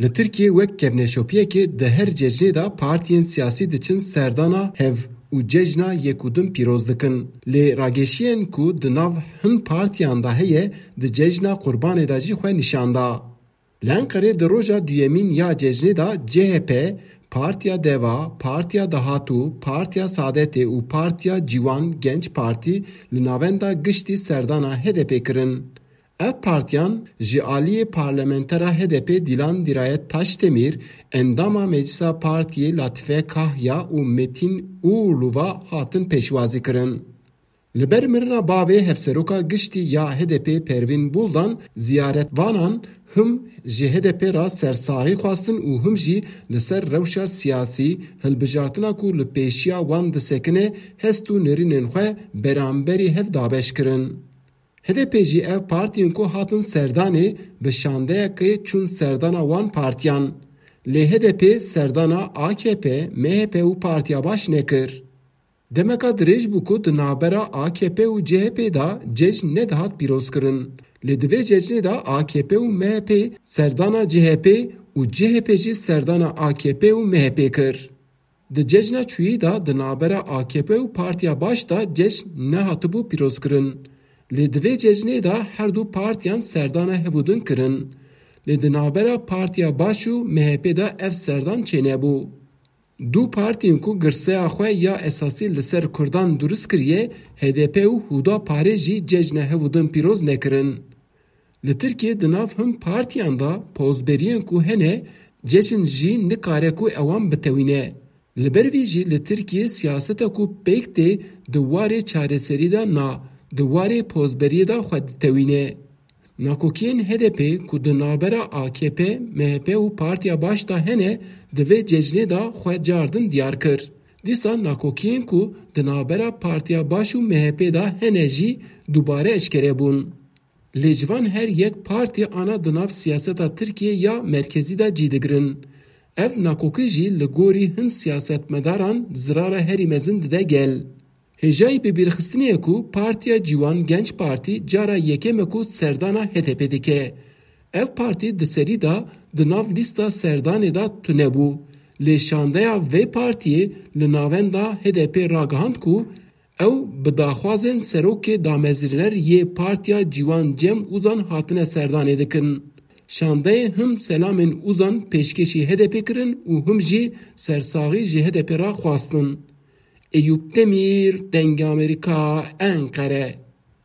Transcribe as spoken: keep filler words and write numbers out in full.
Li Tirkiyê wek kevneşopiyekê di her cejnê de partiyên siyasî diçin serdana hev û cejna yek û din pîroz dikin. Lê rageşiyên ku di nav hin partiyan de heye, di cejna Qurbanê de jî xwe nîşan da. Li Enqerê di roja duyemîn ya cejnê de C H P, Partiya Deva, Partiya Dahatû, Partiya Saadetê û Partiya Ciwan Genç Partî li navenda giştî serdana H D P kirin. Ev partiyan ji aliyê parlamentera H D P Dîlan Dîrayet Taşdemîr, endama Meclisa Partiyê Latife Kahya û Metîn Uğurlu ve hatin pêşwazî kirin. Li ber mirina bavê hevseroka giştî ya H D P Pervîn Buldan ziyaretvanan him ji H D P re sersaxî xwestin û him jî li ser rewşa siyasî, hilbijartina ku li pêşiya wan disekine, hest û nerînên xwe beramberî hev dabeş kirin. H D P jî ev partiyên ku hatin serdanê bi şandeyekê çûn serdana wan partiyan. Lê H D P serdana A K P, M H P û Partiya Baş nekir. Demeka dirêj bû ku di navbera A K P û C H P de cejn nedihat pîrozkirin. Lê di vê cejnê de A K P û M H P serdana C H P û C H P jî serdana A K P û M H P kir. Di cejna çûyî de di navbera A K P û Partiya Baş de cejn nehatibû pîrozkirin. Lê di vê cejnê de her du partiyan serdana hevûdin kirin. Lê di navbera Partiya Baş û M H P de ev serdan çênebû. Du partiyên ku girseya xwe ya esasî li ser Kurdan durist kiriye, H D P û Huda Parê jî cejna hevûdin pîroz nekirin. Li Tirkiyê di nav hin partiyan de pozberiyên ku hene, cejn jî nikare ku ewan bitewîne. Li ber vî jî li Tirkiyê siyaseta ku pêk tê di warê çareserî de na, di warê pozberiyê de xwe ditewîne. Nakokiyên H D P ku di navbera A K P, M H P û Partiya Baş de hene, di vê cejnê de xwe cardin diyar kir. Dîsa nakokiyên ku di navbera Partiya Baş û M H P de hene jî dubare eşkere bûn. Lê ji van her yek partî ana di nav siyaseta Tirkiyê ya merkezî de cî digirin. Ev nakokî jî li gorî hin siyasetmedaran zirara herî mezin dide gel. Hêjayî bibîrxistinê ye ku Partiya Ciwan Genç Partî cara yekem e ku serdana H D P dike. Ev partî di serî de di nav lîsta serdanê de tune bû. Lê şandeya vê partiyê li navenda H D P ragihand ku ew bi daxwazên serokê damezrîner yê Partiya Ciwan Cem Uzan hatine serdanê dikin. Şandeyê him selamên Uzan pêşkêşî H D P kirin û him jî sersaxî ji H D P re xwestin. Eyûp Demîr, Dengê Amerîka, Enqere.